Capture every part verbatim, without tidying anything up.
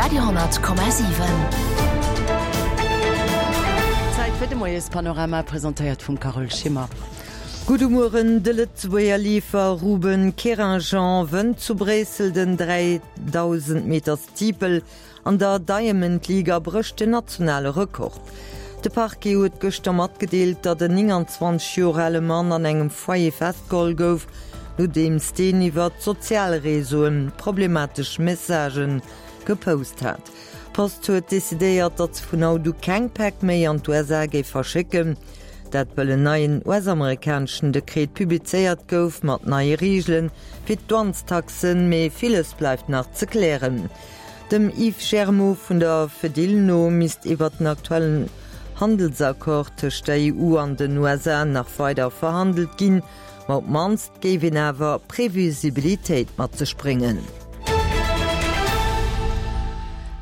Radio honnert Komma siwen. Zäit fir de Moiespanorama, presentéiert vum Carole Schimmer. Gudde Mueren, De Lëtzebuerger Leefer Ruben Querinjean wënnt zu Bréissel den dräidausend Meter Steeple an der Diamond League a brécht den nationale Rekord. De Parquet huet gëschter matgedeelt, datt en nénganzwanzeg Joer ale Mann an engem Foyer festgeholl gouf, nodeems deen iwwer d'sozial Reseauen problematesch Messagë gepost hat. D'Post huet decidéiert, datt se vun haut u keng Päck méi an d'USA géif verschécken. Dat wëll en neien US-amerikaneschen Dekret publizéiert gouf mat neie Reegele fir d'Douanestaxen, mee villes bleift nach ze klären. Dem Yves Germeau vun der Fedil no misst iwwert den aktuellen Handelsaccord tëscht der E U an den U S A nach weider verhandelt ginn, ma op d'mannst géif een awer Previsibilitéit mat sech bréngen.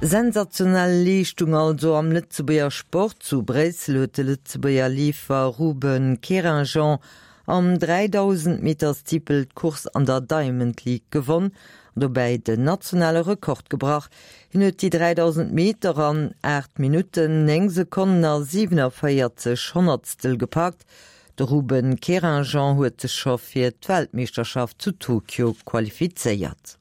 Sensationell Leeschtung also am Lëtzebuerger Sport. Zu Bréissel huet de Lëtzebuerger Leefer Ruben Querinjean am dräidausend Meter Steeple d'Course an der Diamond League gewonn an dobäi den nationale Rekord gebrach. Hien huet déi dräidausend Meter an aacht Minutten, néng Sekonnen a siwenavéierzeg Honnertstel gepackt. De Ruben Querinjean huet sech scho fir d'Weltmeeschterschaft zu Tokio qualifizéiert.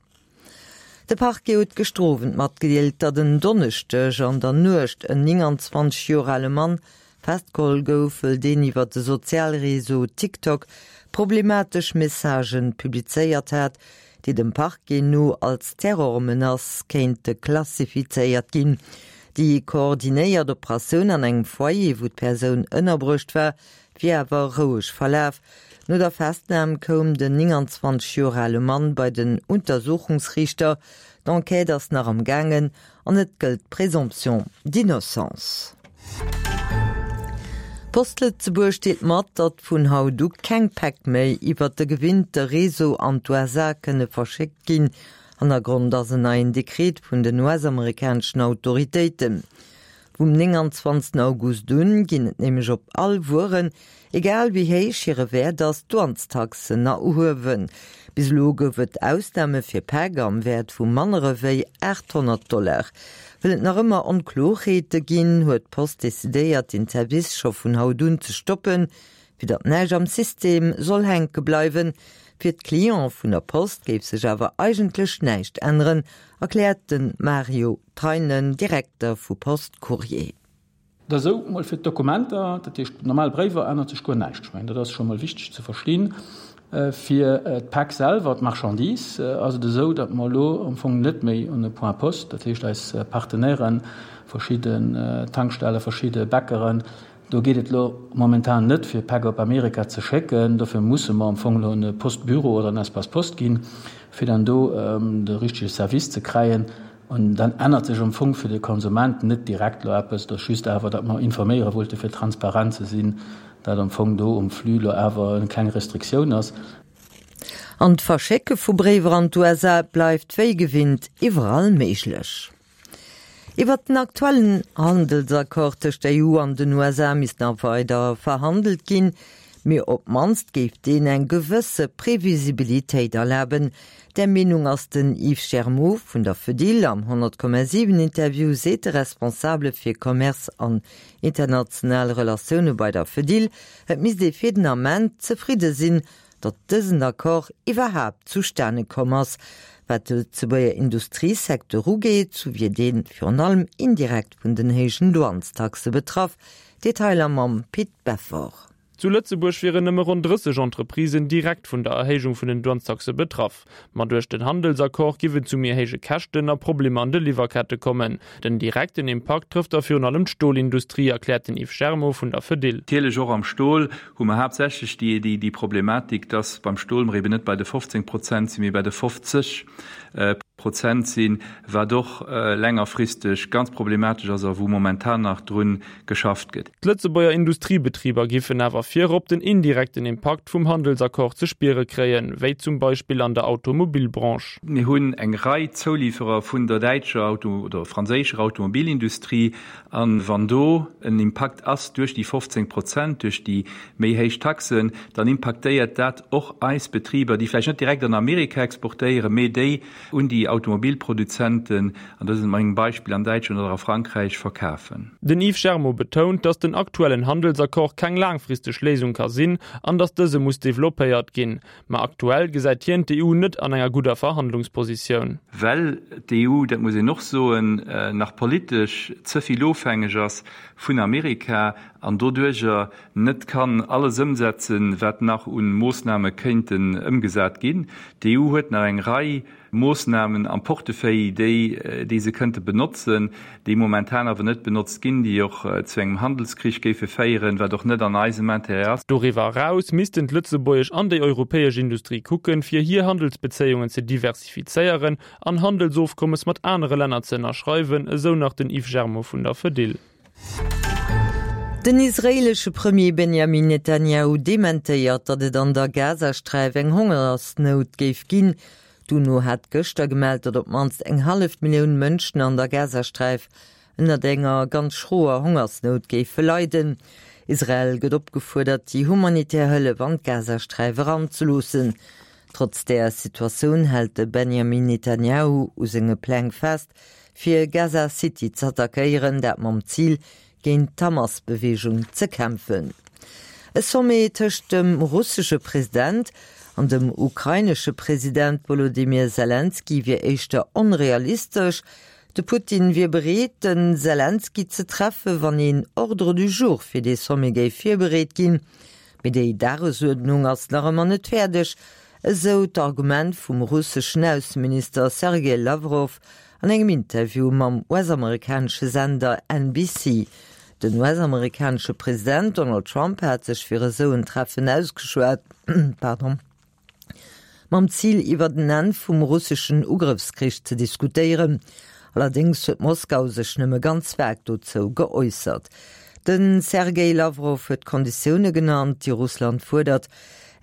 De Parquet huet gëschter Owend matgedeelt, datt en Donneschdeg an der Nuecht en nénganzwanzeg Joer ale Mann festgeholl gouf, wëll deen iwwer de Sozialreseau TikTok problematesch Messagen publizéiert hat, déi dem Parquet no als Terrormenace kéinte klassifizéiert ginn. Déi koordinéiert Operatioun an engem Foyer, wou d'Persoun ënnerbruecht war, wier awer roueg verlaf. No der Festnam koum den nénganzwanzeg Joer ale Mann bei den Untersuchungsriichter. D'Enquête ass nach am gaangen an et gëllt d'Présomption d'innocence. Post Lëtzebuerg deelt mat, datt vun haut u keng Päck méi iwwert de gewinnte Réseau an d'U S A kënne verschéckt ginn. Hannergrond ass en neien Dekret vun den U S-amerikaneschen Autoritéiten. Vum nénganzwanzegsten August un ginn et nämlech op all Wueren, egal wéi héich hire Wäert ass, Douanestaxen erhuewen. Bis elo gouf et Ausname fir Päck am Wäert vu manner ewéi aathonnert Dollar. Well et nach ëmmer Onkloerheete ginn, huet d'Post decidéiert, den Service scho vun haut un ze stoppen, fir datt näischt am System soll hänke bleiwen. Fir d'Cliente vun der Post géif sech awer eigentlech näischt änneren, erkläert de Mario Treinen, Direkter vu Post Courrier. Dat esou mol fir d'Dokumenter, dat heescht normal Bréiwer, ännert sech guer näischt. Ech mengen, dat ass scho mol wichteg ze verstinn. Fir d'Päck selwer, d'Marchandise, ass et esou, datt mer elo am Fong net méi un e Point Poste, dat heescht eis Partenairen, verschidden Tankstelle, verschidde Bäckeren, do geet et elo momentan net fir Päck op Amerika ze schécken. Dofir musse mer am Fong elo un e Postbüro oder en Espace Poste ginn, fir dann do de richtege Service ze kréien. An dann ännert sech am Fong fir de Konsument net direkt elo eppes, et ass just awer, datt mer informéiere wollte fir transparent ze sinn, datt am Fong do um Flux elo awer eng kleng Restriktioun ass. An d'Verschécke vu Bréiwer an d'U S A bleift wéi gewinnt iwwerall méiglech. Iwwer den aktuellen Handelsaccord tëscht der E U an den U S A misst nach weider verhandelt ginn, mee op d'mannst géif deen eng gewësse Previsibilitéit erlaben. Där Meenung ass den Yves Germeau vun der Fedil. Am honnert Komma siwen Interview seet de Responsabele fir Commerce an international Relatioune bei der Fedil, et misst ee fir den Ament zefridde sinn, datt dësen Accord iwwerhaapt zustane komm ass. Wat de Lëtzebuerger Industriesecteur ugeet, sou wier dee virun allem indirekt vun den héijen Douanestaxe betraff. Detailer mam Pit Beffort. Zu Lëtzebuerg wieren nëmme ronn drësseg Entreprisen direkt vun der Erhéijung vun den Douanestaxe betraff. Ma duerch den Handelsaccord giff et zu méi héije Käschten a Problemer an de Liwwerkette kommen. Den direkten Impakt trëfft da virun allem d'Stolindustrie, erkläert den Yves Germeau vun der Fedil. Natierlech och am Stol hu mer haaptsächlech déi Problematik, dass beim Stol mer eben net bei de fofzéng Prozent sinn, mee bei de fofzeg Prozent sinn, wat och längerfristeg ganz problematesch ass a wou momentan nach drun geschafft gëtt. D'Lëtzebuerger Industriebetriber giffen awer virop den indirekten Impakt vum Handelsaccord ze spiere kréien, wéi zum Beispill an der Automobilbranche. Mir hunn eng Rei Zouliwwerer vun der däitscher Auto oder franséischer Automobilindustrie, a wann do en Impakt ass duerch déi fofzéng Prozent, duerch déi méi héich Taxen, dann impaktéiert dat och eis Betriber, déi vläicht net direkt an Amerika exportéieren, mee déi un déi Automobilproduzenten, an dat ass engem Beispill an Däitschland oder a Frankräich, verkafen. Den Yves Germo betount, datt den aktuellen Handelsaccord keng laangfristeg Léisung ka sinn an datt dëse muss developpéiert ginn. Ma aktuell gesäit hien d'EU net an enger gudder Verhandlungspositioun. Well d'EU, dat muss een och soen, nach politesch ze vill ofhängeg ass vun Amerika an doduerjer net kann alles ëmsetzen, wat nach un Moossname kéinten ëmgesat ginn. D'EU huet nach eng Rei Moossnamen am Portefeuille, déi, déi se kënnte benotzen, déi momentan awer net benotzt ginn, déi och zu engem Handelskrich géife féieren, wat och net an eisem Intérêt ass. Doriwwer eraus missten d'lëtzebuergesch an déi europäesch Industrie kucken, fir hir Handelsbezéiungen ze diversifizéieren an Handelsofkommes mat anere Länner ze ënnerschreiwen, esou nach den Yves Germo vun der Fedil. Den israeelesche Premier Benjamin Netanjahu dementéiert, datt et an der Gazasträif eng Hongersnout géif ginn. D'UNO hat gëschter gemellt, datt op d'mannst eng hallef Millioun Mënschen an der Gazasträif ënnert enger ganz schroer Hongersnout géife leiden. Israel gëtt opgefuerdert, déi humanitär Hëllef an d'Gazasträif eranzeloossen. Trotz där Situatioun hält de Benjamin Netanjahu u senge Pläng fest, fir Gaza City z'attackéieren, dat mam Zil, géint d'Hamas-Beweegung ze kämpfen. E Sommet tëscht dem russesche President an dem ukrainesche President Wolodymyr Selenskyj wier éischter onrealistesch. De Putin wier bereet, de Selenskyj ze treffen, wann een Ordre du jour fir dee Sommet géif virbereet ginn. Mee déi Dagesuerdnung ass nach ëmmer net fäerdeg, esou d'Argument vum russeschen Ausseminister Sergej Lawrow an engem Interview mam US-amerikanesche Sender N B C. Den U S-amerikanesche President Donald Trump hat sech fir esou en Treffen ausgeschwat, mam Zil iwwer den Enn vum russeschen Ugrëffskrich ze diskutéieren. Allerdéngs huet Moskau sech nëmme ganz vag dozou geäussert. De Sergej Lawrow huet Konditioune genannt, déi Russland fuerdert,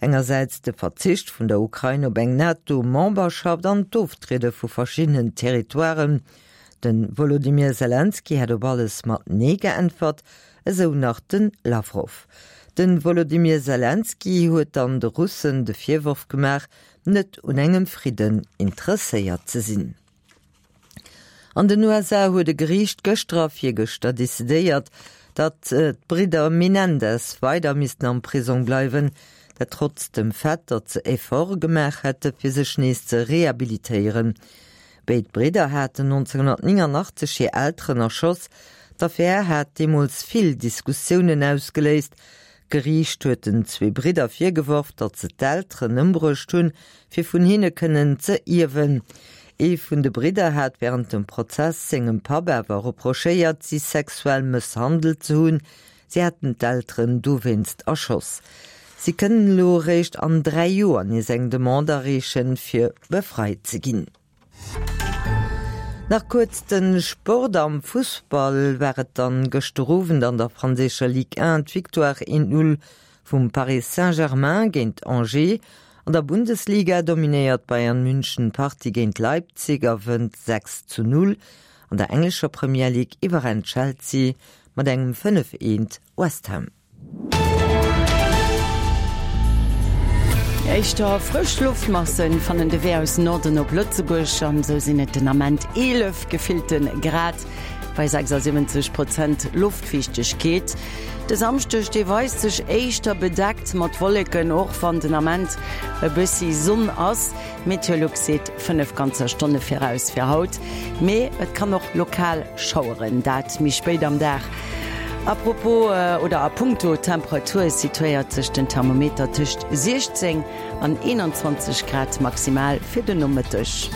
engersäits de Verzicht vun der Ukrain op eng NATO-Memberschaft an d'Oftriede vu verschiddenen Territoiren. De Wolodymyr Selenskyj hätt op alles mat Nee geäntwert, esou nach de Lawrow. De Wolodymyr Selenskyj huet dann de Russen de Virworf gemaach, net un engem Fridden interesséiert ze sinn. An den U S A huet e Geriicht gëschter a virgëschter decidéiert, datt d'Bridder Menendez weider missten am Prisong bleiwen, dat trotz dem Fait, datt se Efforte gemaach hätte fir sech nees ze rehabilitéieren. Béid Bridder haten nonzénghonnertnénganachtzeeg hir Elteren erschoss. D'Affär hat deemools vill Diskussiounen ausgeléist. D'Geriicht huet den zwee Bridder virgeworf, datt se d'Elteren ëmbruecht hunn, fir vun hinne kënnen ze ierwen. Ee vun de Bridder hat wärend dem Prozess sengem Papp awer reprochéiert, si sexuell mësshandelt ze hunn. Si hätten d'Elteren dowéinst erschoss. Si kënnen elo eréischt an dräi Joer nees eng Demande areechen, fir befreit ze ginn. Nach kuerz de Sport, Am Fussball war et dann gëschter Owend an der franséischer Ligue un d'Victoire eent Null vum Paris Saint-Germain géint Angers. An der Bundesliga dominéiert Bayern München d'Partie géint Leipzig a wënnt sechs zu null. An der englescher Premier League iwwerrennt Chelsea mat engem fënnef eent West Ham. Éischter frësch Loftmassen fannen de Wee aus Norden op Lëtzebuerg an esou sinn et den Ament eelef gefillte Grad bei sechsasiwwenzeg Prozent Loftfiichtegkeet. De Samschdeg dee weist sech éischter bedeckt mat Wolleken, och wann den Ament e bëssi Sonn ass. Meteolux seet fënnef ganzer Stonne viraus fir haut, mee et kann och lokal schaueren, dat méi spéit am Dag. A propos oder a punkto Temperatur situéiert sech den Thermometer tëscht siechzéng an eenanzwanzeg Grad maximal fir den Nomëtteg.